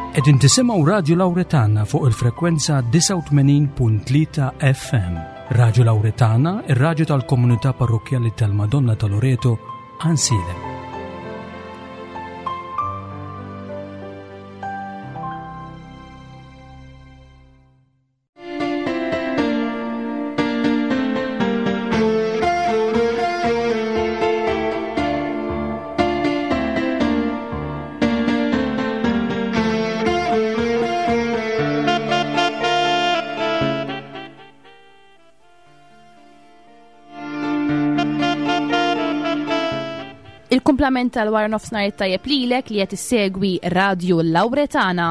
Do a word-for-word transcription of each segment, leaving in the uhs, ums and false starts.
Qegħdin tisimgħu Radio Lauretana fuq il-frekwenza disgħa u tmenin punt tlieta F M. Radio Lauretana, ir-radju tal-komunità parrokkjali tal-Madonna ta' Loreto, Għajnsielem. Il-kumplament tal-wara nofsinhar it-tajjeb lilek li qed issegwi Radio Lauretana.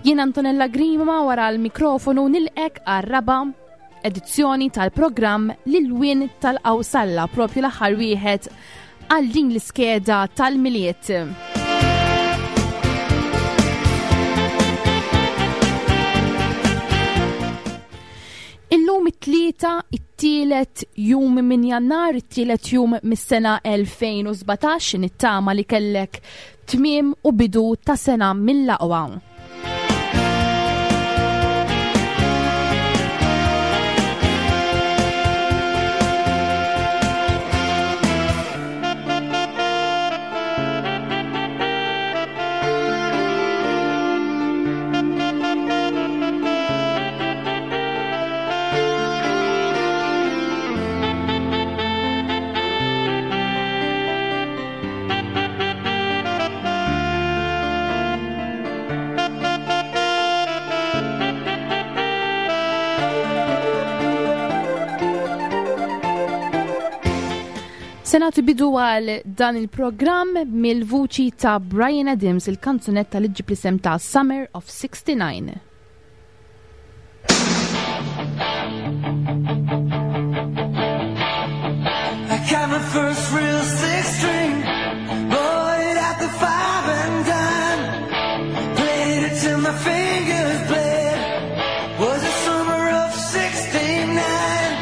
Jien Antonella Grima wara l-mikrofonu nilqek għar-raba' edizzjoni tal-programm L-Ilwien tal-Qawsalla, propju l-aħħar wieħed għal din l-iskeda tal-Milied. Illum it-tlieta, it-tielet jum minn Jannar, it-tielet jum mis-sena elfejn u sbatax, nittama li kellek tmiem u bidu ta' sena mill-aqwa. Se nagħtu bidu għal dan il-programm mill-vuċi ta' Bryan Adams, il-kanzunetta li ġġib l-isem ta' Summer of sixty-nine. I got my first real six string, bought it at the five and dime, played it till my fingers bled. Was the summer of sixty-nine.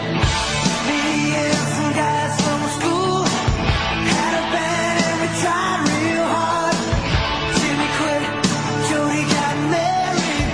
Me and some guys from school had a band and we tried real hard. Jimmy quit, Jody got married,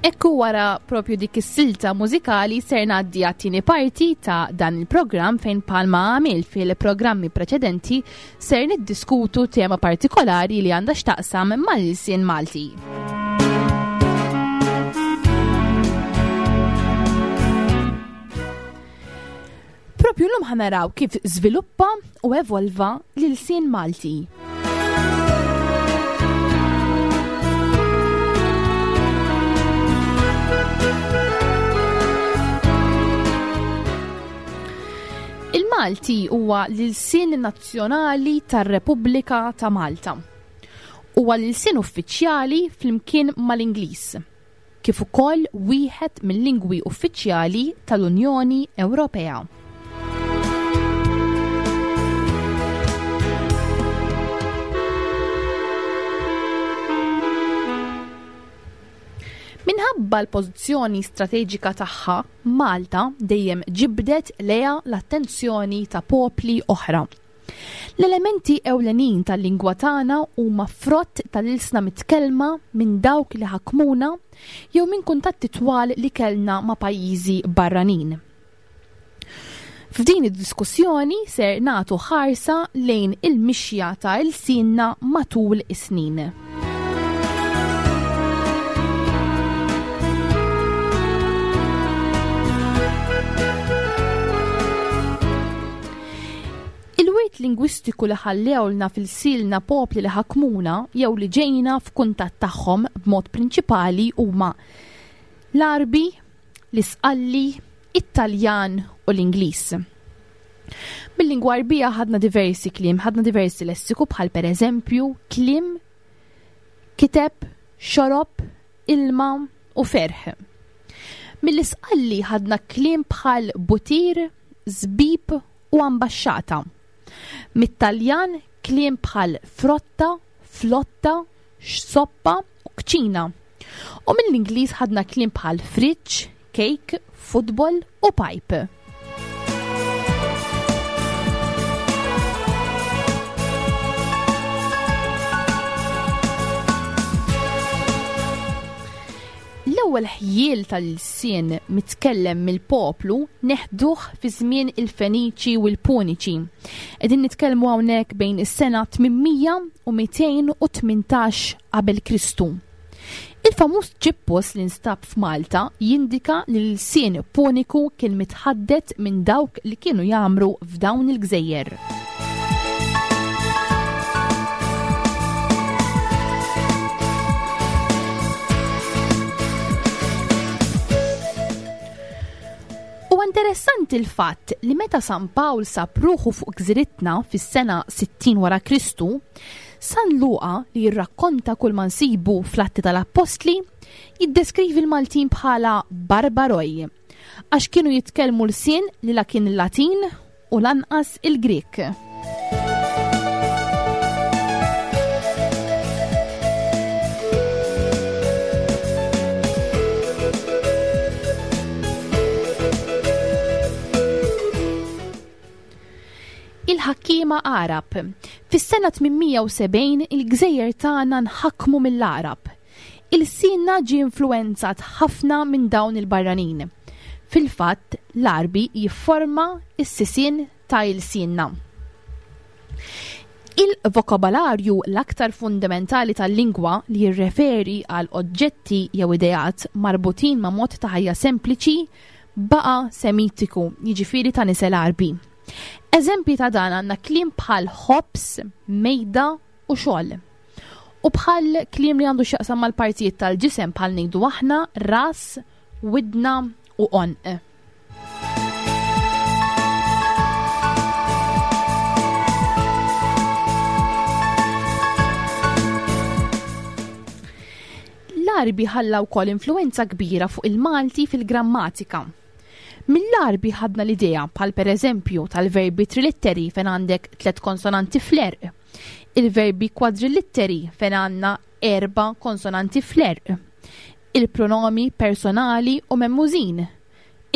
Ekku wara propju dik is-silta mużikali ser ngħaddi għat-tieni parti ta' dan il-programm fejn palma għamil fil-programmi preċedenti ser niddiskutu tema partikolari li għandha x'taqsam mal-ilsien Malti. Propju llum ħa naraw kif żviluppa u evolva l-ilsien Malti. Il-Malti huwa l-ilsien nazzjonali tar-Repubblika ta' Malta. Huwa l-ilsien uffiċjali flimkien mal-Ingliż, kif ukoll wieħed mill-lingwi uffiċjali tal-Unjoni Ewropea. Minħabba l-pożizzjoni strateġika tagħha, Malta dejjem ġibdet lejha l-attenzjoni ta' popli oħra. L-elementi ewlenin tal-lingwa tagħna huma frott tal-ilsna mitkellma minn dawk li ħakmuna jew minn kuntatti twal li kellna ma' pajjiżi barranin. F'din id-diskussjoni ser nagħtu ħarsa lejn il-mixja ta' ilsienna matul is-snin. Il-wirt lingwistiku li ħallewlna fil-silna popli li ħakmuna jew li ġejna f'kuntatt tagħhom b'mod prinċipali huma l-Għarbi, l-Isqalli, it-Taljan u l-Ingliż. Bil-lingwa Għarbija ħadna diversi kliem, ħadna diversi lessiku bħal pereżempju kliem, kiteb, xorob, ilma u ferħ. Mill-Isqalli ħadna kliem bħal butir, żbib u ambaxxata. Mit-Taljan kliem bħal frotta, flotta, soppa u kċina. U mill-Ingliż ħadna kliem bħal fridge, cake, football u pipe. L-ewwel ħjiel tal-ilsien mitkellem mill-poplu neħduh fi żmien il-Feniċi u l-Puniċi. Qegħdin nitkellmu hawnhekk bejn is-sena tmien mija u mitejn u tmintax qabel Kristu. Il-famuż ċippus li nstab f'Malta jindika li l-ilsien Puniku kien mitħaddet minn dawk li kienu jagħmru f'dawn il-gżejjer. U interessanti l-fatt li meta San Pawl sab ruħu fuq gżiritna fis-sena sittin wara Kristu, San Luqa li jirrakkonta kull ma nsibu fl-Atti tal-Appostli jiddeskrivi l-Maltin bħala barbaroj, għax kienu jitkellmu lsien li la kien il-Latin u lanqas il-Grek. Il-ħakkiema Għarab. Fis-sena tmien mija u sebgħin il-gżejjer tagħna nħakmu mill-Għarab. Il-sinna ġie influenzat ħafna minn dawn il-barranin. Fil-fatt, l-Għarbi jifforma s-sisien ta' il-sinna. Il-vokabolarju l-aktar fundamentali tal-lingwa li jirreferi għal oġġetti jew ideat marbutin ma' mod ta' ħajja sempliċi baqa' semitiku, jiġifieri ta' nisel Għarbi. Eżempji ta' dan għandna kliem bħal ħobż, mejda u xogħol. U bħal kliem li għandu x'jaqsam mal-partijiet tal-ġisem bħal ngħidu aħna ras, widna u għonq. L-Għarbi ħalla wkoll influenza kbira fuq il-Malti fil-grammatika. Mill-Għarbi ħadna l-idea bħal pereżempju tal-verbi trilitteri fejn għandek tliet konsonanti fl-erq, il-verbi kwadrilitteri fejn għandna erba' konsonanti fl-erq, il-pronomi personali u memmużin,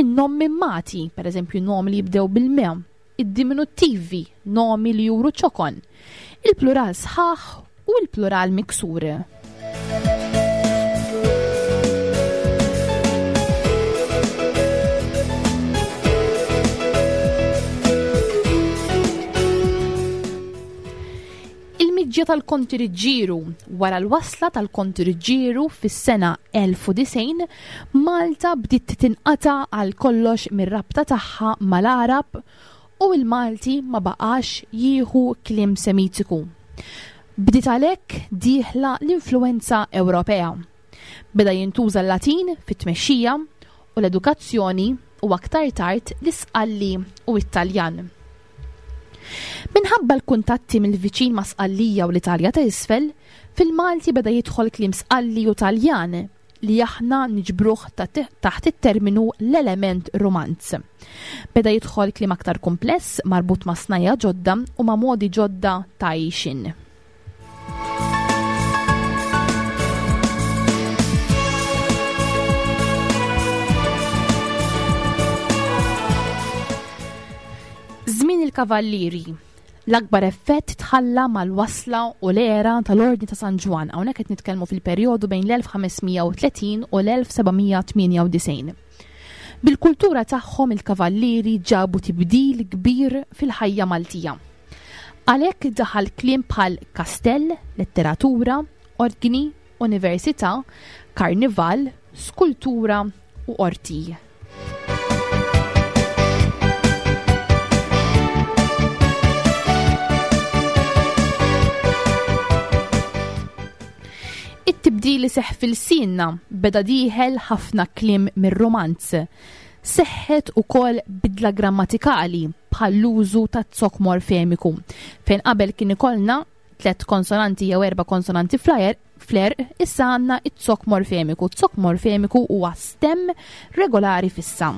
in-nomi mati, pereżempju nomi li jibdew bil-me, id-diminuttivi, nomi li juru ċokon, il-plural sħaħ u l-plural miksur. Il-ġie tal-Konti Riġġieru. Wara l-wasla tal-Konti Riġġieru fis-sena elf u disgħin, Malta bdiet tinqata' għal kollox mir-rabta tagħha mal-Għarab u l-Malti ma baqax jieħu kliem Semitiku. Bdiet għalhekk dieħla l-influenza Ewropea. Beda jintuża l-Latin fit-tmexxija u l-edukazzjoni u aktar tard l-Isqalli u t-Taljan. Minħabba l-kuntatti mill-viċin ma' Sqallija u l-Italja ta' isfel, fil-Malti beda jidħol kliem Sqalli u Taljan li aħna niġbruh taħt it-terminu l-element romanz. Beda jidħol kliem aktar kumpless marbut ma' snajja ġodda u ma' modi ġodda ta' għixin. Żmien il-Kavallieri. L-akbar effett tħalla mal-wasla u l-era tal-Ordni ta' San Ġwann. Hawnhekk qed nitkellmu fil-perjodu bejn l-elf ħames mija u tletin u l-elf seba' mija tmienja u disgħin. Bil-kultura tagħhom il-Kavallieri ġabu tibdil kbir fil-ħajja Maltija. Għalhekk daħal kliem bħal kastell, letteratura, ordni, università, karnival, skultura u qorti. It-tibdil li seħħ fil-sinna beda dieħel ħafna kliem mir-romanz. Seħħet ukoll bidla grammatikali bħall-użu ta' zokk morfemiku, fejn qabel kien ikollna tliet konsonanti jew erba' konsonanti fl-aer, fl-erq, issa għandna it-zokk morfemiku. Zokk morfemiku huwa stem regolari fissa.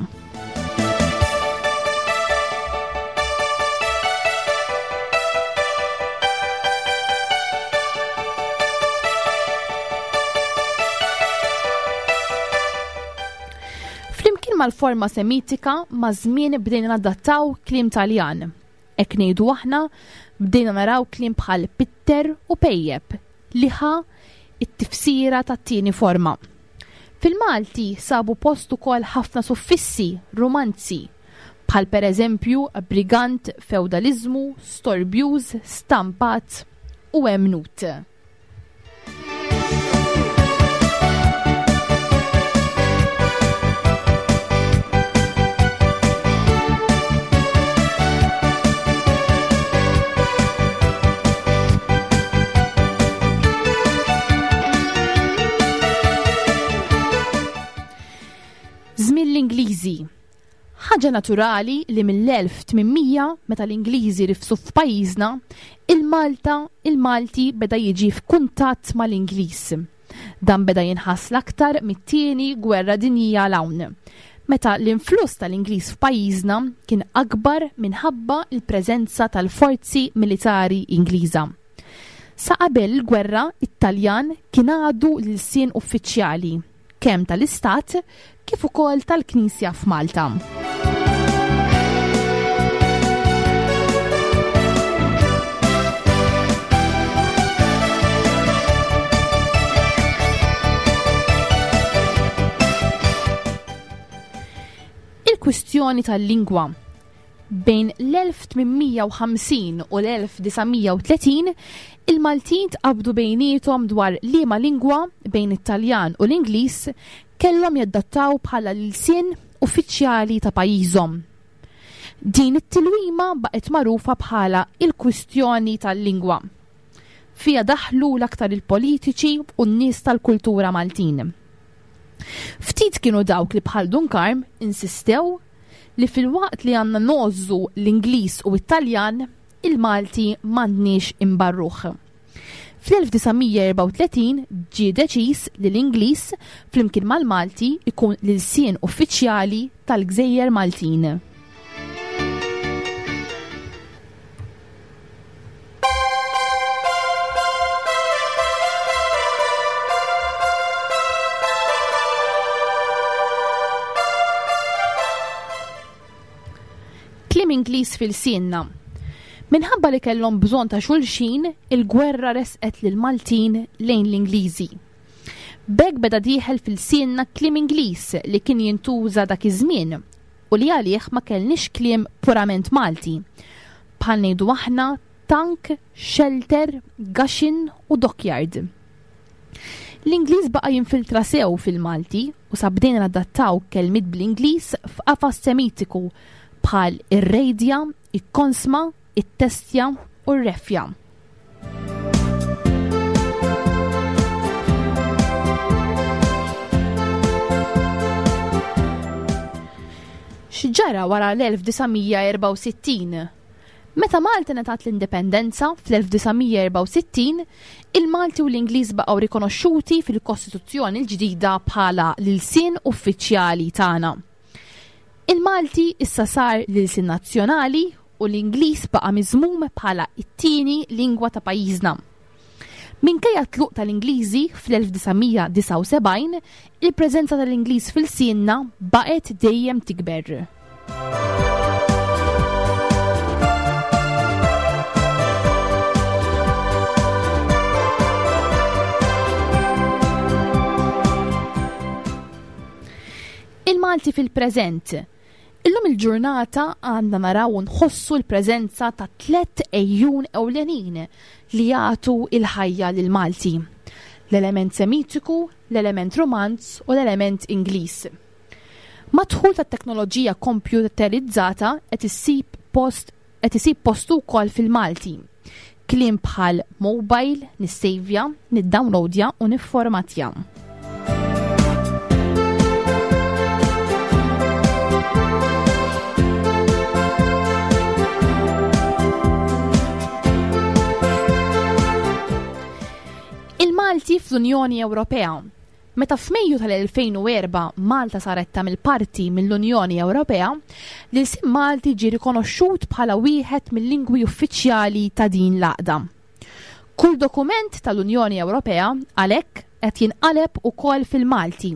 Flimkien mal-forma semitika ma' żmien bdejna nadattaw kliem Taljan. Hekk ngħidu aħna bdejna naraw kliem bħal pitter u pejjeb li ħa it-tifsira tat-tieni forma. Fil-Malti sabu post ukoll ħafna suffissi romanzi bħal pereżempju brigant, feudalizmu, storbjuż, stampat u emnut. Żmien l-Ingliżi. Ħaġa naturali li mill-elf tmien mija meta l-Ingliżi rifsu f'pajjiżna, il-Malta, il-Malti beda jiġi f'kuntatt mal-Ingliż. Dan beda jinħass l-aktar mit-tieni gwerra dinjija 'l hawn, meta l-influss tal-Ingliż f'pajjiżna kien akbar minħabba l-preżenza tal-forzi militari Ingliża. Sa qabel il-gwerra, it-Taljan kien għadu l-ilsien uffiċjali, kemm tal-Istat kif ukoll tal-Knisja f'Malta. Il-kwistjoni tal-lingwa. Bejn l-elf tmien mija u ħamsin u l-elf disa' mija u tletin, il-Maltin tqabdu bejniethom dwar liema lingwa bejn it-Taljan u l-Ingliż kellhom jadattaw bħala l-ilsien uffiċjali ta' pajjiżhom. Din it-tilwima baqgħet magħrufa bħala il-kwistjoni tal-lingwa. Fiha daħlu l-aktar il-politiċi u n-nies tal-kultura Maltin. Ftit kienu dawk li bħal Dun Karm insistew li fil-waqt li għandna nożżu l-Ingliż u t-Taljan, il-Malti m'għandniex imbarruh. Fl-elf disa' mija erbgħa u tletin ġie deċiż li l-Ingliż flimkien mal-Malti ikun l-ilsien uffiċjali tal-Gżejjer Maltin. Kliem Ingliż fil-sienna. Minħabba li kellhom bżonn ta' xulxin, il-gwerra resqet lil Maltin lejn l-Ingliżi. B'hekk beda dieħel fil-sienna kliem Ingliż li kien jintuża dak iż-żmien u li għalih ma kellniex kliem purament Malti. Bħal ngħidu aħna tank, shelter, gaxin u dockyard. L-Ingliż baqa' jinfiltra sew fil-Malti u sa bdejna nadattaw kelmiet bl-Ingliż f'qafas Semitiku bħal ir-rejdja, il-konsma, it-testja u r-refja. X'ġara wara l-elf disa' mija erbgħa u sittin? Meta Malta ngħatat l-indipendenza fl-elf disa' mija erbgħa u sittin, il-Malti u l-Ingliż baqgħu rikonoxxuti fil-Kostituzzjoni l-ġdida bħala l-ilsien uffiċjali tagħna. Il-Malti issa sar l-ilsien nazzjonali u l-Ingliż baqa' miżmum bħala t-tieni lingwa ta' pajjiżna. Minkejja t-tluq tal-Ingliżi fl-elf disa' mija disgħa u sebgħin, il-preżenza tal-Ingliż fil-sienna baqgħet dejjem tikber. Il-Malti fil-preżent. Illum il-ġurnata għandna naraw u nħossu l-preżenza ta' tliet ejjun ewlenin li jagħtu il-ħajja lil Malti. L-element Semitiku, l-element Romanz u l-element Ingliż. Mad-dħul tat-teknoloġija kompjuterizzata qed issib post qed isib postu wkoll fil-Malti. Kliem bħal mobile, nissejvja, niddownloadja u nifformatja. Il-Malti fl-Unjoni Ewropea. Meta f'Mejju tal-elfejn u erba' Malta saret tagħmel parti mill-Unjoni Ewropea, l-ilsien Malti ġie rikonoxxut bħala wieħed mill-lingwi uffiċjali ta' din l-għaqda. Kull dokument tal-Unjoni Ewropea għalhekk qed jinqaleb ukoll fil-Malti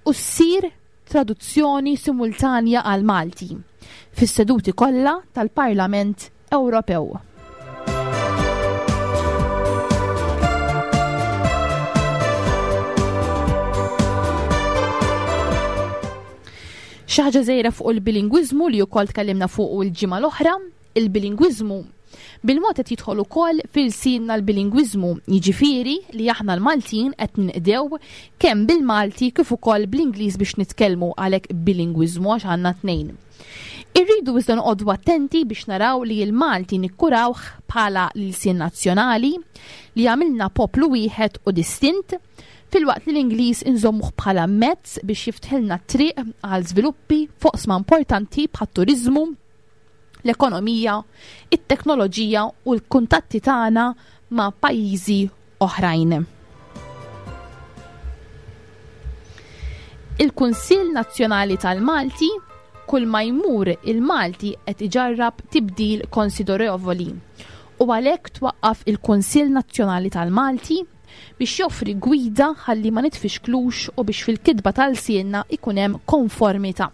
u ssir traduzzjoni simultanja għal-Malti fis-seduti kollha tal-Parlament Ewropew. Xi ħaġa żgħira fuq il-bilingwiżmu li wkoll tkellimna fuq il-ġimgħa l-oħra, il-bilingwiżmu bil-mod qed jidħol ukoll fil-sinna l-bilingwiżmu, jiġifieri li aħna l-Maltin qed ninqdew kemm bil-Malti kif ukoll bl-Ingliż biex nitkellmu, għalhekk bilingwiżmu għax għandna tnejn. Irridu iżda noqogħdu attenti biex naraw li l-Malti nikkurawh bħala l-ilsien nazzjonali li jagħmilna poplu wieħed u distint, filwaqt li l-Ingliż inżommuh bħala mezz biex jiftħilna t-triq għal żviluppi f'oqsma importanti bħat-turiżmu, l-ekonomija, it-teknoloġija u l-kuntatti tagħna ma' pajjiżi oħrajn. Il-Kunsill Nazzjonali tal-Malti, kull ma jmur il-Malti qed iġarrab tibdil konsiderevoli u għalhekk twaqqaf il-Kunsill Nazzjonali tal-Malti biex joffri gwida ħalli ma nitfixklux u biex fil-kitba tal-sienna ikun hemm konformità.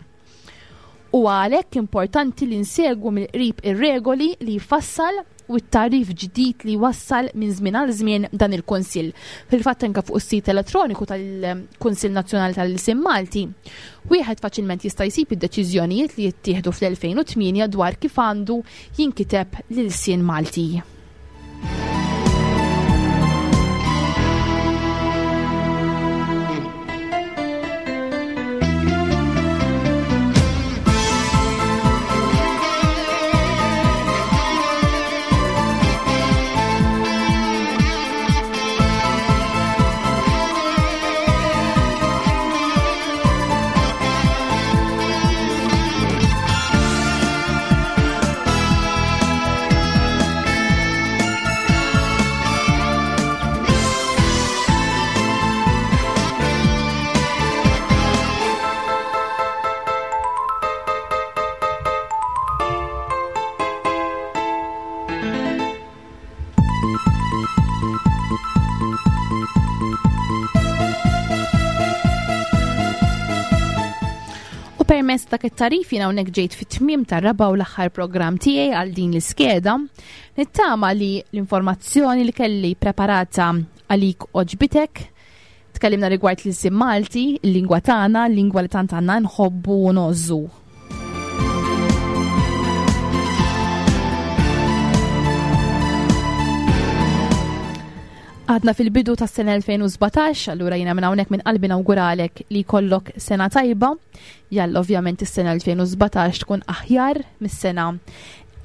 U għalhekk importanti li nsegwu mill-qrib ir-regoli li jfassal u t-tagħrif ġdid li jwassal minn żmien għal żmien dan il-Kunsill. Fil-fatt anke fuq is-sit elettroniku tal-Kunsill Nazzjonali tal-Ilsien Malti, wieħed faċilment jista' jsib id-deċiżjonijiet li jittieħdu fl-elfejn u tmienja dwar kif għandu jinkiteb l-ilsien Malti. Permezz ta' it-tarif jiena hawnhekk ġejt fit-tmiem tar-raba' u l-aħħar programm tiegħi għal din l-iskeda. Nittama li l-informazzjoni li kelli preparata għalik oġbitek. Tkellimna rigward l-ilsien Malti, il-lingwa tagħna, l-lingwa li tant għandna nħobbu u ngħożżu. Għadna fil-bidu tas-sena elfejn u sbatax, allura jiena minn hawnhekk minn qalbi nawguralek li jkollok sena tajba. Jalla ovvjament is-sena elfejn u sbatax tkun aħjar mis-sena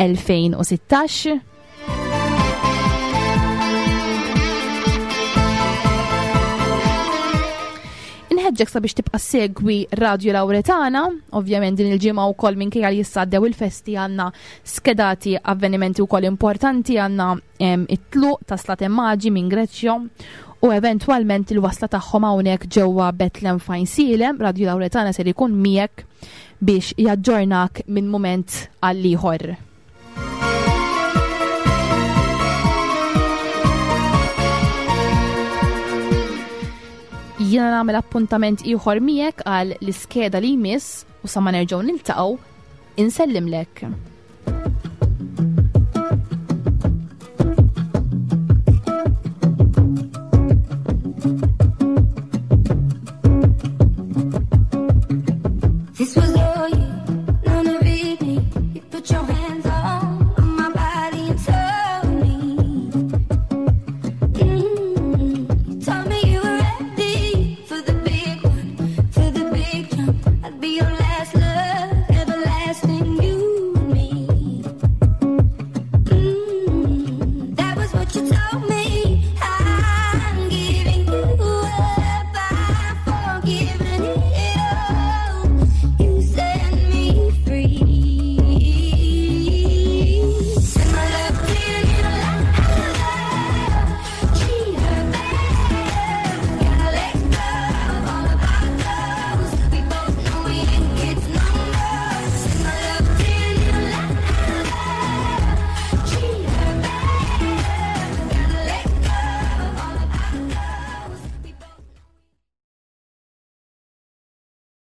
elfejn u sittax. Inħeġġek sabiex tibqa' segwi Radio Lauretana, ovvjament din il-ġimgħa wkoll, minkejja li issa għaddew il-festi, għandna skedati avvenimenti wkoll importanti. Għandna it-tluq ta' Slaten Maġi minn Greċja u eventwalment il-wasla tagħhom hawnhekk ġewwa Bethlehem f'Għajnsielem. Radio Lauretana ser ikun miegħek biex jaġġornak minn mument għal ieħor. Jiena nagħmel appuntament ieħor miegħek għal l-iskeda li jmiss u sa ma nerġgħu niltaqgħu, insellimlek.